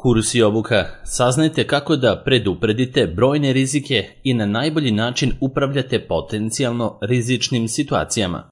Kurs i obuka. Saznajte kako da predupredite brojne rizike i na najbolji način upravljate potencijalno rizičnim situacijama.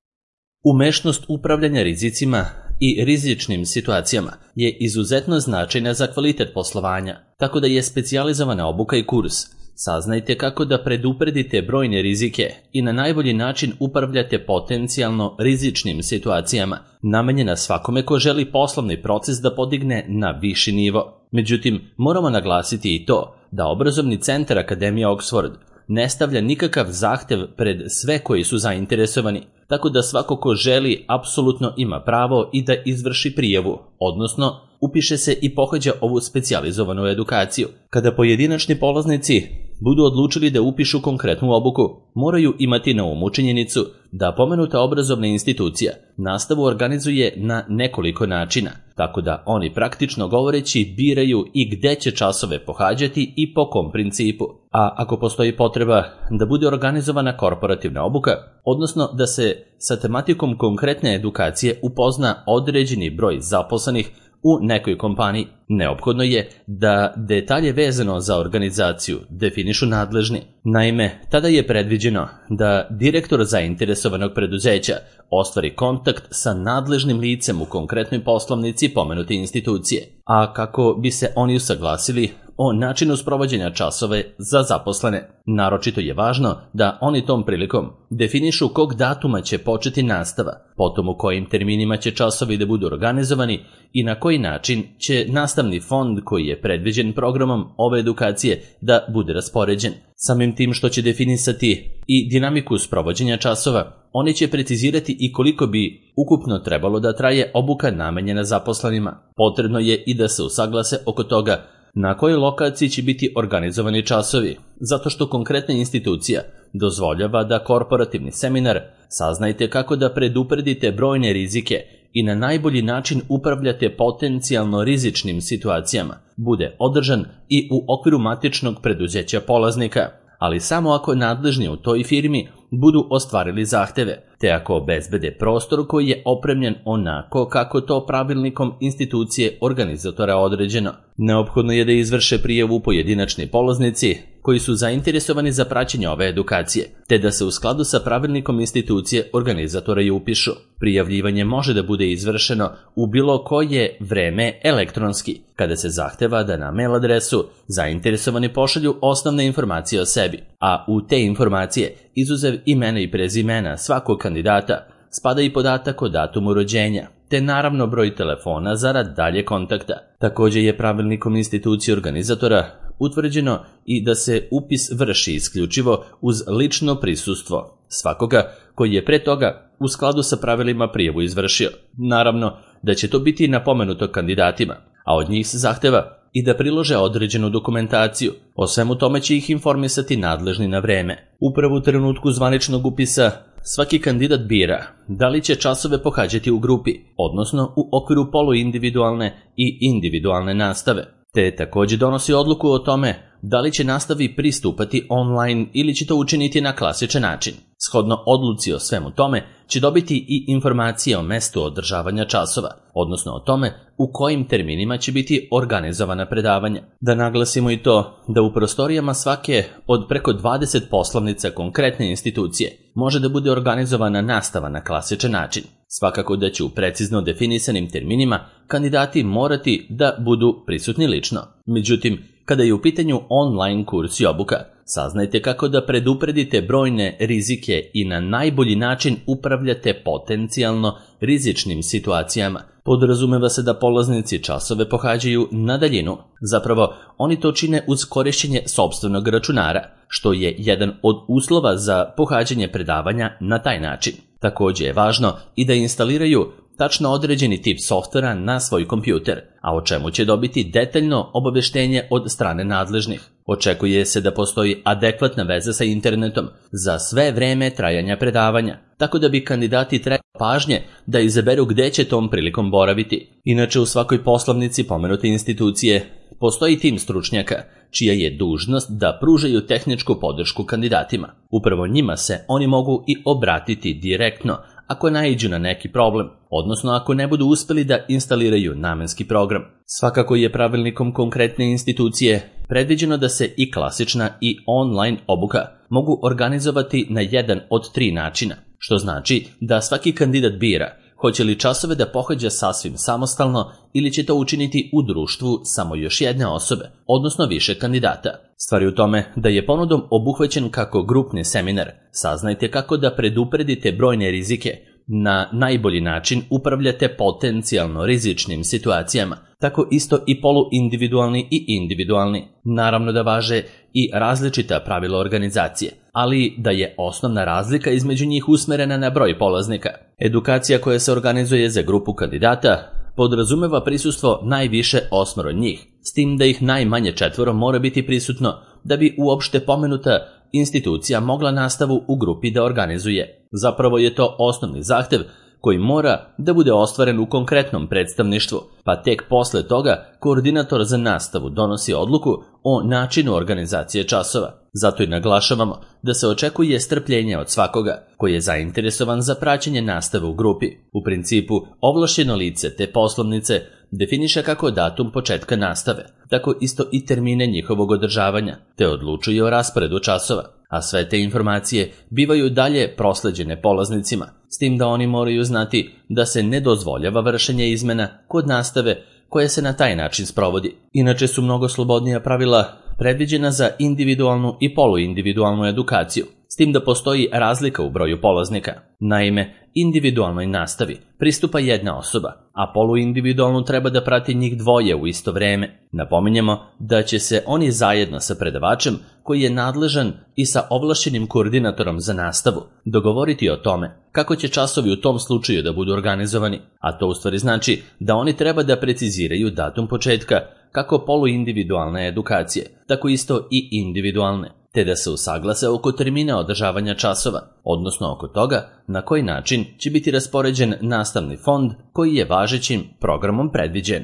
Umešnost upravljanja rizicima i rizičnim situacijama je izuzetno značajna za kvalitet poslovanja, tako da je specijalizovana obuka i kurs. Saznajte kako da predupredite brojne rizike i na najbolji način upravljate potencijalno rizičnim situacijama, namenjena svakome ko želi poslovni proces da podigne na viši nivo. Međutim, moramo naglasiti i to da obrazovni centar Akademija Oxford ne stavlja nikakav zahtev pred sve koji su zainteresovani, tako da svako ko želi apsolutno ima pravo i da izvrši prijavu, odnosno upiše se i pohađa ovu specijalizovanu edukaciju. Kada pojedinačni polaznici budu odlučili da upišu konkretnu obuku, moraju imati na umu činjenicu da pomenuta obrazovna institucija nastavu organizuje na nekoliko načina, tako da oni praktično govoreći biraju i gde će časove pohađati i po kom principu. A ako postoji potreba da bude organizovana korporativna obuka, odnosno da se sa tematikom konkretne edukacije upozna određeni broj zaposlenih u nekoj kompaniji, neophodno je da detalje vezano za organizaciju definišu nadležni. Naime, tada je predviđeno da direktor zainteresovanog preduzeća ostvari kontakt sa nadležnim licem u konkretnoj poslovnici pomenute institucije, a kako bi se oni usaglasili o načinu sprovođenja časove za zaposlene. Naročito je važno da oni tom prilikom definišu kog datuma će početi nastava, potom u kojim terminima će časovi da budu organizovani i na koji način će nastavni fond koji je predviđen programom ove edukacije da bude raspoređen. Samim tim što će definisati i dinamiku sprovođenja časova, oni će precizirati i koliko bi ukupno trebalo da traje obuka namenjena zaposlenima. Potrebno je i da se usaglase oko toga na kojoj lokaciji će biti organizovani časovi, zato što konkretna institucija dozvoljava da korporativni seminar Saznajte kako da predupredite brojne rizike i na najbolji način upravljate potencijalno rizičnim situacijama bude održan i u okviru matičnog preduzeća polaznika, ali samo ako nadležni u toj firmi budu ostvarili zahteve, te ako obezbede prostor koji je opremljen onako kako to pravilnikom institucije organizatora određeno. Neophodno je da izvrše prijavu pojedinačni polaznici koji su zainteresovani za praćenje ove edukacije, te da se u skladu sa pravilnikom institucije organizatora i upišu. Prijavljivanje može da bude izvršeno u bilo koje vreme elektronski, kada se zahteva da na mail adresu zainteresovani pošalju osnovne informacije o sebi, a u te informacije, izuzev imena i prezimena svakog kandidata, spada i podatak o datumu rođenja, te naravno broj telefona zarad dalje kontakta. Također je pravilnikom institucije organizatora utvrđeno i da se upis vrši isključivo uz lično prisustvo svakoga koji je pre toga u skladu sa pravilima prijavu izvršio. Naravno da će to biti napomenuto kandidatima, a od njih se zahteva i da prilože određenu dokumentaciju. O svemu tome će ih informisati nadležni na vreme. Upravo u trenutku zvaničnog upisa svaki kandidat bira da li će časove pohađati u grupi, odnosno u okviru poluindividualne i individualne nastave, te također donosi odluku o tome da li će nastavi pristupati online ili će to učiniti na klasičan način. Shodno odluci o svemu tome će dobiti i informacije o mestu održavanja časova, odnosno o tome u kojim terminima će biti organizovana predavanja. Da naglasimo i to da u prostorijama svake od preko 20 poslovnica konkretne institucije može da bude organizovana nastava na klasičan način. Svakako da će u precizno definisanim terminima kandidati morati da budu prisutni lično. Međutim, kada je u pitanju online kurs i obuka, saznajte kako da predupredite brojne rizike i na najbolji način upravljate potencijalno rizičnim situacijama. Podrazumeva se da polaznici časove pohađaju na daljinu. Zapravo, oni to čine uz korišćenje sopstvenog računara, što je jedan od uslova za pohađanje predavanja na taj način. Također je važno i da instaliraju tačno određeni tip softvera na svoj kompjuter, a o čemu će dobiti detaljno obaveštenje od strane nadležnih. Očekuje se da postoji adekvatna veza sa internetom za sve vreme trajanja predavanja, tako da bi kandidati trebali pažnje da izaberu gde će tom prilikom boraviti. Inače, u svakoj poslovnici pomenute institucije postoji tim stručnjaka, čija je dužnost da pružaju tehničku podršku kandidatima. Upravo njima se oni mogu i obratiti direktno ako naiđu na neki problem, odnosno ako ne budu uspeli da instaliraju namenski program. Svakako je pravilnikom konkretne institucije predviđeno da se i klasična i online obuka mogu organizovati na jedan od 3 načina, što znači da svaki kandidat bira hoće li časove da pohađa sasvim samostalno ili će to učiniti u društvu samo još jedne osobe, odnosno više kandidata. Stvar je u tome da je ponudom obuhvaćen kako grupni seminar. Saznajte kako da predupredite brojne rizike, na najbolji način upravljate potencijalno rizičnim situacijama, tako isto i poluindividualni i individualni. Naravno da važe i različita pravila organizacije, ali da je osnovna razlika između njih usmerena na broj polaznika. Edukacija koja se organizuje za grupu kandidata podrazumeva prisustvo najviše 8 njih, s tim da ih najmanje 4 mora biti prisutno da bi uopšte pomenuta institucija mogla nastavu u grupi da organizuje. Zapravo je to osnovni zahtev koji mora da bude ostvaren u konkretnom predstavništvu, pa tek posle toga koordinator za nastavu donosi odluku o načinu organizacije časova. Zato i naglašavamo da se očekuje strpljenje od svakoga koji je zainteresovan za praćenje nastave u grupi. U principu, ovlašćeno lice te poslovnice definiše kako datum početka nastave, tako isto i termine njihovog održavanja, te odlučuje o rasporedu časova, a sve te informacije bivaju dalje prosleđene polaznicima, s tim da oni moraju znati da se ne dozvoljava vršenje izmena kod nastave koja se na taj način sprovodi. Inače su mnogo slobodnija pravila predviđena za individualnu i poluindividualnu edukaciju, s tim da postoji razlika u broju polaznika. Naime, individualnoj nastavi pristupa jedna osoba, a poluindividualnu treba da prati njih 2 u isto vreme. Napominjemo da će se oni zajedno sa predavačem, koji je nadležan i sa ovlašćenim koordinatorom za nastavu, dogovoriti o tome kako će časovi u tom slučaju da budu organizovani, a to u stvari znači da oni treba da preciziraju datum početka kako poluindividualne edukacije, tako isto i individualne, te da se usaglase oko termina održavanja časova, odnosno oko toga na koji način će biti raspoređen nastavni fond koji je važećim programom predviđen.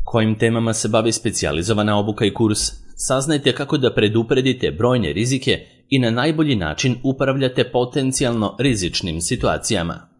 Kojim temama se bavi specijalizovana obuka i kurs? Saznajte kako da predupredite brojne rizike i na najbolji način upravljate potencijalno rizičnim situacijama.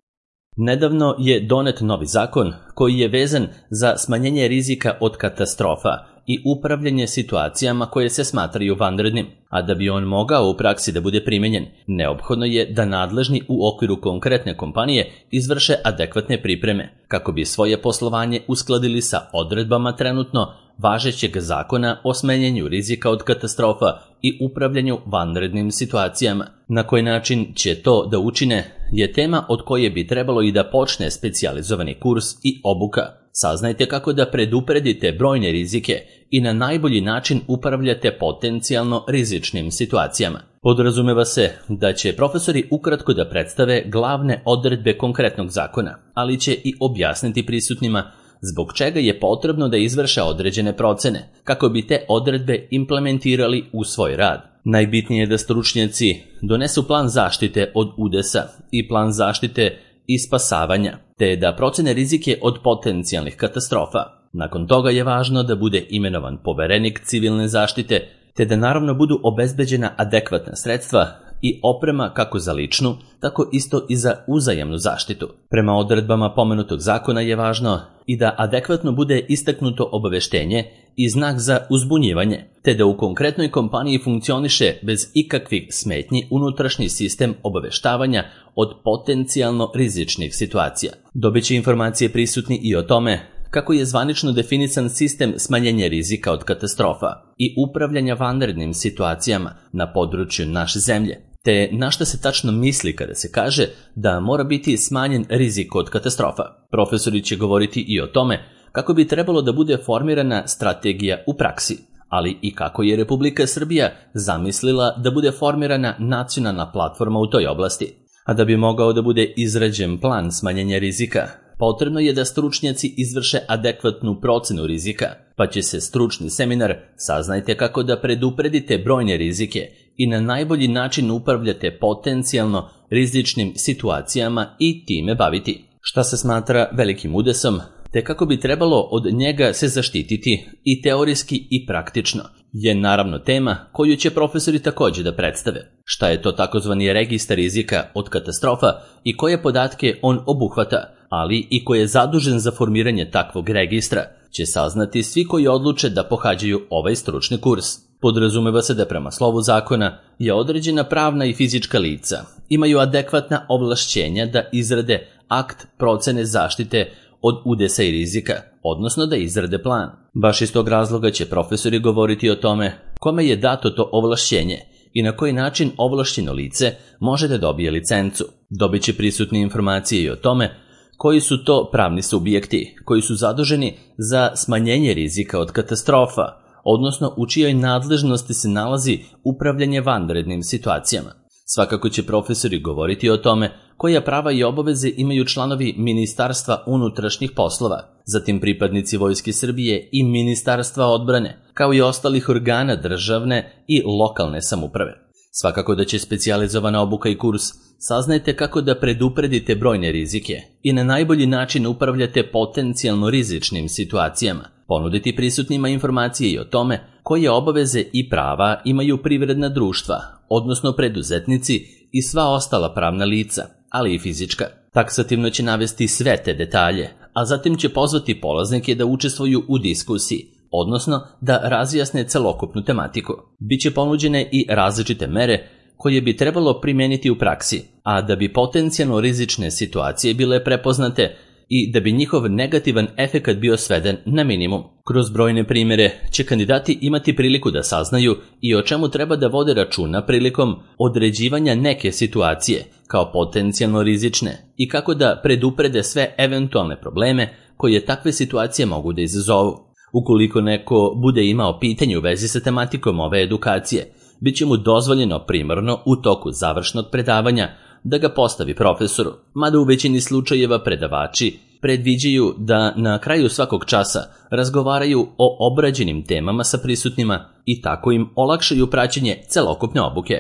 Nedavno je donet novi zakon koji je vezan za smanjenje rizika od katastrofa i upravljanje situacijama koje se smatraju vanrednim, a da bi on mogao u praksi da bude primenjen, neophodno je da nadležni u okviru konkretne kompanije izvrše adekvatne pripreme, kako bi svoje poslovanje uskladili sa odredbama trenutno važećeg zakona o smanjenju rizika od katastrofa i upravljanju vanrednim situacijama. Na koji način će to da učine je tema od koje bi trebalo i da počne specijalizovani kurs i obuka. Saznajte kako da predupredite brojne rizike i na najbolji način upravljate potencijalno rizičnim situacijama. Podrazumeva se da će profesori ukratko da predstave glavne odredbe konkretnog zakona, ali će i objasniti prisutnima zbog čega je potrebno da izvrše određene procene, kako bi te odredbe implementirali u svoj rad. Najbitnije je da stručnjaci donesu plan zaštite od udesa i plan zaštite i spasavanja, te da procene rizike od potencijalnih katastrofa. Nakon toga je važno da bude imenovan poverenik civilne zaštite, te da naravno budu obezbeđena adekvatna sredstva i oprema kako za ličnu, tako isto i za uzajamnu zaštitu. Prema odredbama pomenutog zakona je važno i da adekvatno bude istaknuto obaveštenje i znak za uzbunjivanje, te da u konkretnoj kompaniji funkcioniše bez ikakvih smetnji unutrašnji sistem obaveštavanja od potencijalno rizičnih situacija. Dobiće informacije prisutni i o tome kako je zvanično definisan sistem smanjenja rizika od katastrofa i upravljanja vanrednim situacijama na području naše zemlje, te na šta se tačno misli kada se kaže da mora biti smanjen rizik od katastrofa. Profesori će govoriti i o tome kako bi trebalo da bude formirana strategija u praksi, ali i kako je Republika Srbija zamislila da bude formirana nacionalna platforma u toj oblasti. A da bi mogao da bude izrađen plan smanjenja rizika, potrebno je da stručnjaci izvrše adekvatnu procenu rizika, pa će se stručni seminar Saznajte kako da predupredite brojne rizike i na najbolji način upravljate potencijalno rizičnim situacijama i time baviti. Šta se smatra velikim udesom, te kako bi trebalo od njega se zaštititi i teorijski i praktično, je naravno tema koju će profesori također da predstave. šta je to takozvani registar rizika od katastrofa i koje podatke on obuhvata, ali i ko je zadužen za formiranje takvog registra, će saznati svi koji odluče da pohađaju ovaj stručni kurs. Podrazumeva se da prema slovu zakona je određena pravna i fizička lica imaju adekvatna ovlašćenja da izrade akt procene zaštite od udesa i rizika, odnosno da izrade plan. Baš iz tog razloga će profesori govoriti o tome kome je dato to ovlašćenje i na koji način ovlašćeno lice može da dobije licencu. Dobit će prisutne informacije i o tome koji su to pravni subjekti koji su zaduženi za smanjenje rizika od katastrofa, odnosno u čijoj nadležnosti se nalazi upravljanje vanrednim situacijama. Svakako će profesori govoriti o tome koja prava i obaveze imaju članovi Ministarstva unutrašnjih poslova, zatim pripadnici Vojske Srbije i Ministarstva odbrane, kao i ostalih organa državne i lokalne samouprave. Svakako da će specijalizovana obuka i kurs saznajte kako da predupredite brojne rizike i na najbolji način upravljate potencijalno rizičnim situacijama, ponuditi prisutnima informacije i o tome koje obaveze i prava imaju privredna društva, odnosno preduzetnici i sva ostala pravna lica, ali i fizička. Taksativno će navesti sve te detalje, a zatim će pozvati polaznike da učestvuju u diskusiji, odnosno da razjasne celokupnu tematiku. Biće ponuđene i različite mere koje bi trebalo primijeniti u praksi, a da bi potencijalno rizične situacije bile prepoznate i da bi njihov negativan efekat bio sveden na minimum. Kroz brojne primjere će kandidati imati priliku da saznaju i o čemu treba da vode računa prilikom određivanja neke situacije kao potencijalno rizične i kako da preduprede sve eventualne probleme koje takve situacije mogu da izazovu. Ukoliko neko bude imao pitanje u vezi sa tematikom ove edukacije, bit će mu dozvoljeno primarno u toku završnog predavanja da ga postavi profesoru, mada u većini slučajeva predavači predviđaju da na kraju svakog časa razgovaraju o obrađenim temama sa prisutnima i tako im olakšaju praćenje celokupne obuke.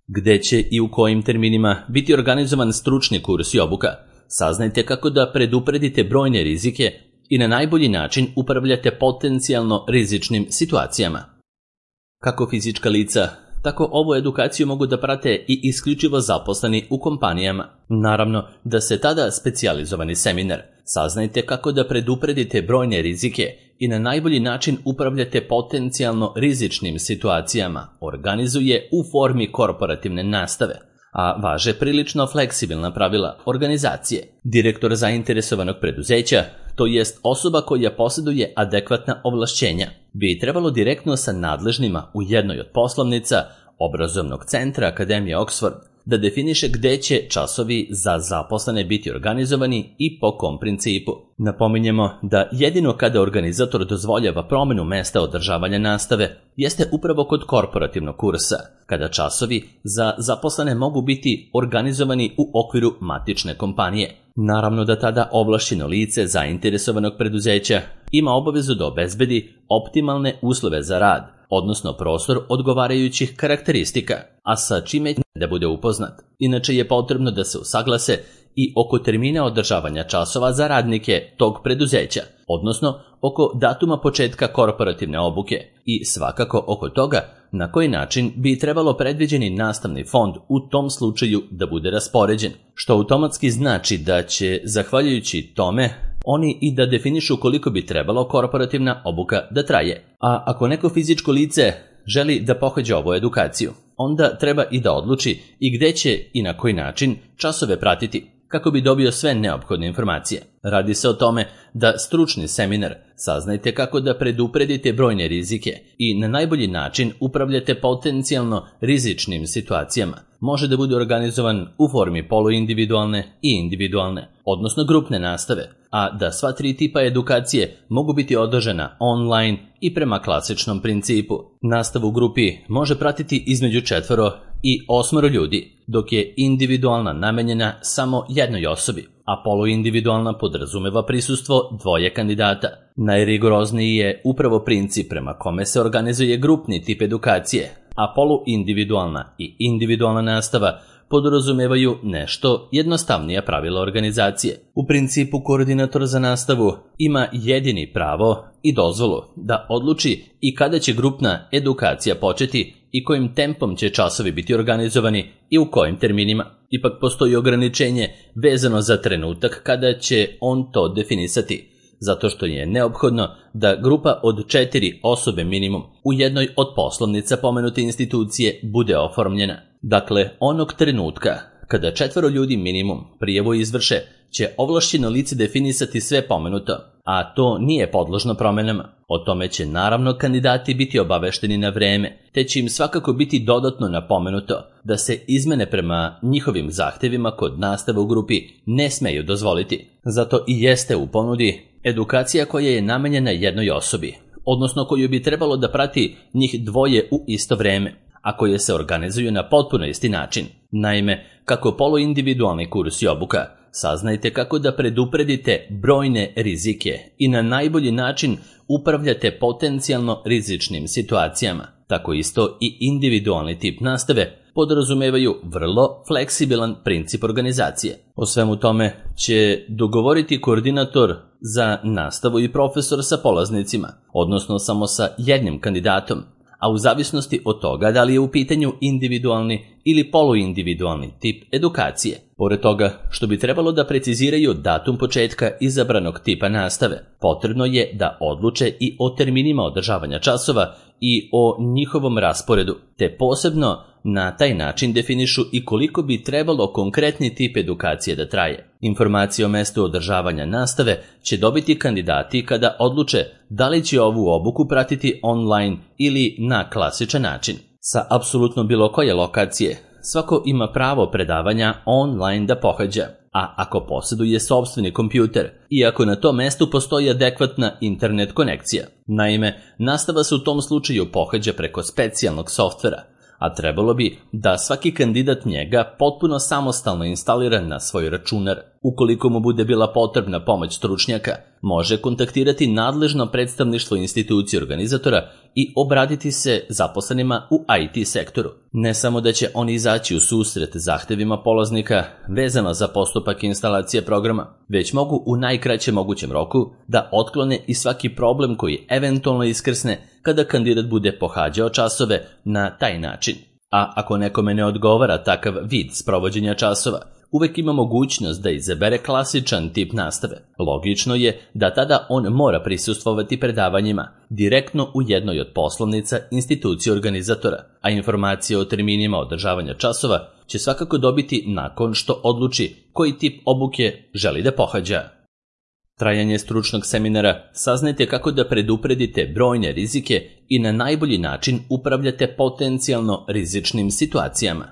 Gde će i u kojim terminima biti organizovan stručni kurs i obuka, saznajte kako da predupredite brojne rizike i na najbolji način upravljate potencijalno rizičnim situacijama. Kako fizička lica, tako ovu edukaciju mogu da prate i isključivo zaposleni u kompanijama. Naravno da se tada specijalizovani seminar saznajte kako da predupredite brojne rizike i na najbolji način upravljate potencijalno rizičnim situacijama organizuje u formi korporativne nastave, a važe prilično fleksibilna pravila organizacije. Direktor zainteresovanog preduzeća, to jest osoba koja posjeduje adekvatna ovlašćenja, bi trebalo direktno sa nadležnima u jednoj od poslovnica obrazovnog centra Akademije Oxford da definiše gde će časovi za zaposlene biti organizovani i po kom principu. Napominjemo da jedino kada organizator dozvoljava promenu mesta održavanja nastave jeste upravo kod korporativnog kursa, kada časovi za zaposlene mogu biti organizovani u okviru matične kompanije. Naravno da tada ovlašćeno lice zainteresovanog preduzeća ima obavezu da obezbedi optimalne uslove za rad, odnosno prostor odgovarajućih karakteristika, a sa čime da bude upoznat. Inače je potrebno da se usaglase i oko termina održavanja časova za radnike tog preduzeća, odnosno oko datuma početka korporativne obuke i svakako oko toga na koji način bi trebalo predviđeni nastavni fond u tom slučaju da bude raspoređen, što automatski znači da će, zahvaljujući tome, oni i da definišu koliko bi trebalo korporativna obuka da traje. A ako neko fizičko lice želi da pohađa ovu edukaciju, onda treba i da odluči i gde će i na koji način časove pratiti, kako bi dobio sve neophodne informacije. Radi se o tome da stručni seminar saznajte kako da predupredite brojne rizike i na najbolji način upravljate potencijalno rizičnim situacijama. Može da bude organizovan u formi poluindividualne i individualne, odnosno grupne nastave, a da sva tri tipa edukacije mogu biti održana online i prema klasičnom principu. Nastavu u grupi može pratiti između 4 i 8 ljudi, dok je individualna namenjena samo jednoj osobi, a poluindividualna podrazumeva prisustvo 2 kandidata. Najrigorozniji je upravo princip prema kome se organizuje grupni tip edukacije, a poluindividualna i individualna nastava podrazumevaju nešto jednostavnija pravila organizacije. U principu koordinator za nastavu ima jedini pravo i dozvolu da odluči i kada će grupna edukacija početi i kojim tempom će časovi biti organizovani i u kojim terminima. Ipak postoji ograničenje vezano za trenutak kada će on to definisati, zato što je neophodno da grupa od 4 osobe minimum u jednoj od poslovnica pomenute institucije bude oformljena. Dakle, onog trenutka kada 4 ljudi minimum prijavu izvrše, će ovlašćeno lice definisati sve pomenuto, a to nije podložno promenama. O tome će naravno kandidati biti obavešteni na vreme, te će im svakako biti dodatno napomenuto da se izmene prema njihovim zahtevima kod nastave u grupi ne smeju dozvoliti. Zato i jeste u ponudi edukacija koja je namenjena jednoj osobi, odnosno koju bi trebalo da prati njih 2 u isto vreme, a koje se organizuju na potpuno isti način. Naime, kako poluindividualni kurs i obuka, saznajte kako da predupredite brojne rizike i na najbolji način upravljate potencijalno rizičnim situacijama. Tako isto i individualni tip nastave podrazumevaju vrlo fleksibilan princip organizacije. O svemu tome će dogovoriti koordinator za nastavu i profesor sa polaznicima, odnosno samo sa jednim kandidatom, a u zavisnosti od toga da li je u pitanju individualni ili poluindividualni tip edukacije. Pored toga što bi trebalo da preciziraju datum početka izabranog tipa nastave, potrebno je da odluče i o terminima održavanja časova i o njihovom rasporedu, te posebno na taj način definišu i koliko bi trebalo konkretni tip edukacije da traje. Informacije o mestu održavanja nastave će dobiti kandidati kada odluče da li će ovu obuku pratiti online ili na klasičan način. Sa apsolutno bilo koje lokacije, svako ima pravo predavanja online da pohađa, a ako posjeduje sopstveni kompjuter i ako na tom mestu postoji adekvatna internet konekcija. Naime, nastava se u tom slučaju pohađa preko specijalnog softvera, a trebalo bi da svaki kandidat njega potpuno samostalno instalira na svoj računar. Ukoliko mu bude bila potrebna pomoć stručnjaka, može kontaktirati nadležno predstavništvo institucije organizatora i obratiti se zaposlenima u IT sektoru. Ne samo da će oni izaći u susret zahtevima polaznika vezano za postupak instalacije programa, već mogu u najkraćem mogućem roku da otklone i svaki problem koji eventualno iskrsne kada kandidat bude pohađao časove na taj način. A ako nekome ne odgovara takav vid sprovođenja časova, uvek ima mogućnost da izabere klasičan tip nastave. Logično je da tada on mora prisustvovati predavanjima direktno u jednoj od poslovnica institucije organizatora, a informacije o terminima održavanja časova će svakako dobiti nakon što odluči koji tip obuke želi da pohađa. Trajanje stručnog seminara saznajte kako da predupredite brojne rizike i na najbolji način upravljate potencijalno rizičnim situacijama.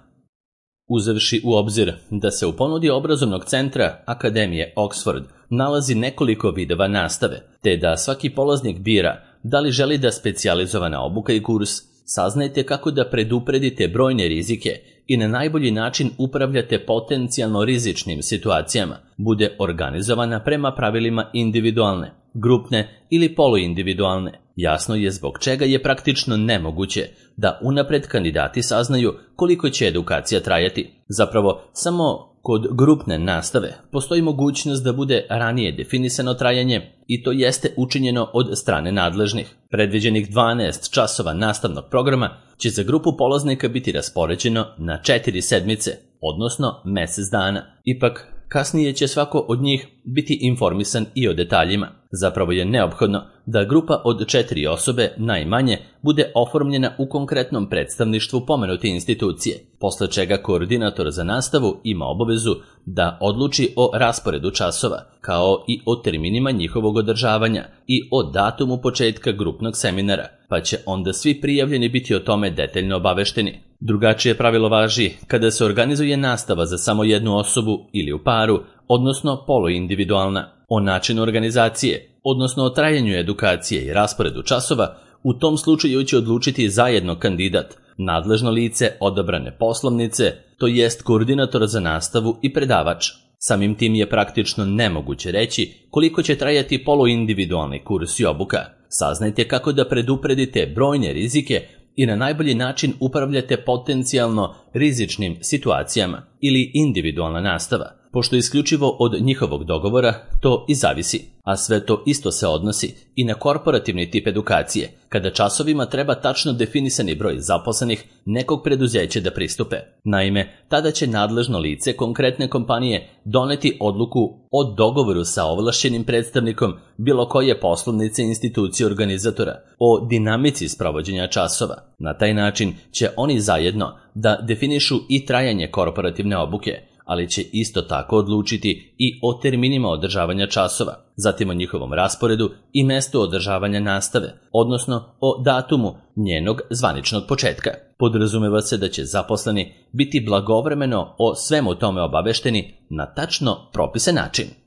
Uzevši u obzir da se u ponudi obrazovnog centra Akademije Oxford nalazi nekoliko vidova nastave, te da svaki polaznik bira da li želi da specijalizovana obuka i kurs, saznajte kako da predupredite brojne rizike i na najbolji način upravljate potencijalno rizičnim situacijama, bude organizovana prema pravilima individualne, grupne ili poluindividualne. Jasno je zbog čega je praktično nemoguće da unapred kandidati saznaju koliko će edukacija trajati. Zapravo, samo kod grupne nastave postoji mogućnost da bude ranije definisano trajanje i to jeste učinjeno od strane nadležnih. Predviđenih 12 časova nastavnog programa će za grupu polaznika biti raspoređeno na 4 sedmice, odnosno mjesec dana. Ipak, kasnije će svako od njih biti informisan i o detaljima. Zapravo je neophodno da grupa od 4 osobe najmanje bude oformljena u konkretnom predstavništvu pomenute institucije, posle čega koordinator za nastavu ima obavezu da odluči o rasporedu časova, kao i o terminima njihovog održavanja i o datumu početka grupnog seminara, pa će onda svi prijavljeni biti o tome detaljno obavešteni. Drugačije pravilo važi kada se organizuje nastava za samo jednu osobu ili u paru, odnosno poluindividualna. O načinu organizacije, odnosno o trajanju edukacije i rasporedu časova, u tom slučaju će odlučiti zajedno kandidat, nadležno lice odabrane poslovnice, to jest koordinator za nastavu i predavač. Samim tim je praktično nemoguće reći koliko će trajati poluindividualni kurs i obuka. Saznajte kako da predupredite brojne rizike i na najbolji način upravljate potencijalno rizičnim situacijama ili individualna nastava, pošto isključivo od njihovog dogovora to i zavisi, a sve to isto se odnosi i na korporativni tip edukacije, kada časovima treba tačno definisani broj zaposlenih nekog preduzeća da pristupe. Naime, tada će nadležno lice konkretne kompanije doneti odluku o dogovoru sa ovlašćenim predstavnikom bilo koje poslovnice institucije organizatora o dinamici sprovođenja časova. Na taj način će oni zajedno da definišu i trajanje korporativne obuke, ali će isto tako odlučiti i o terminima održavanja časova, zatim o njihovom rasporedu i mestu održavanja nastave, odnosno o datumu njenog zvaničnog početka. Podrazumeva se da će zaposleni biti blagovremeno o svemu tome obavešteni na tačno propisan način.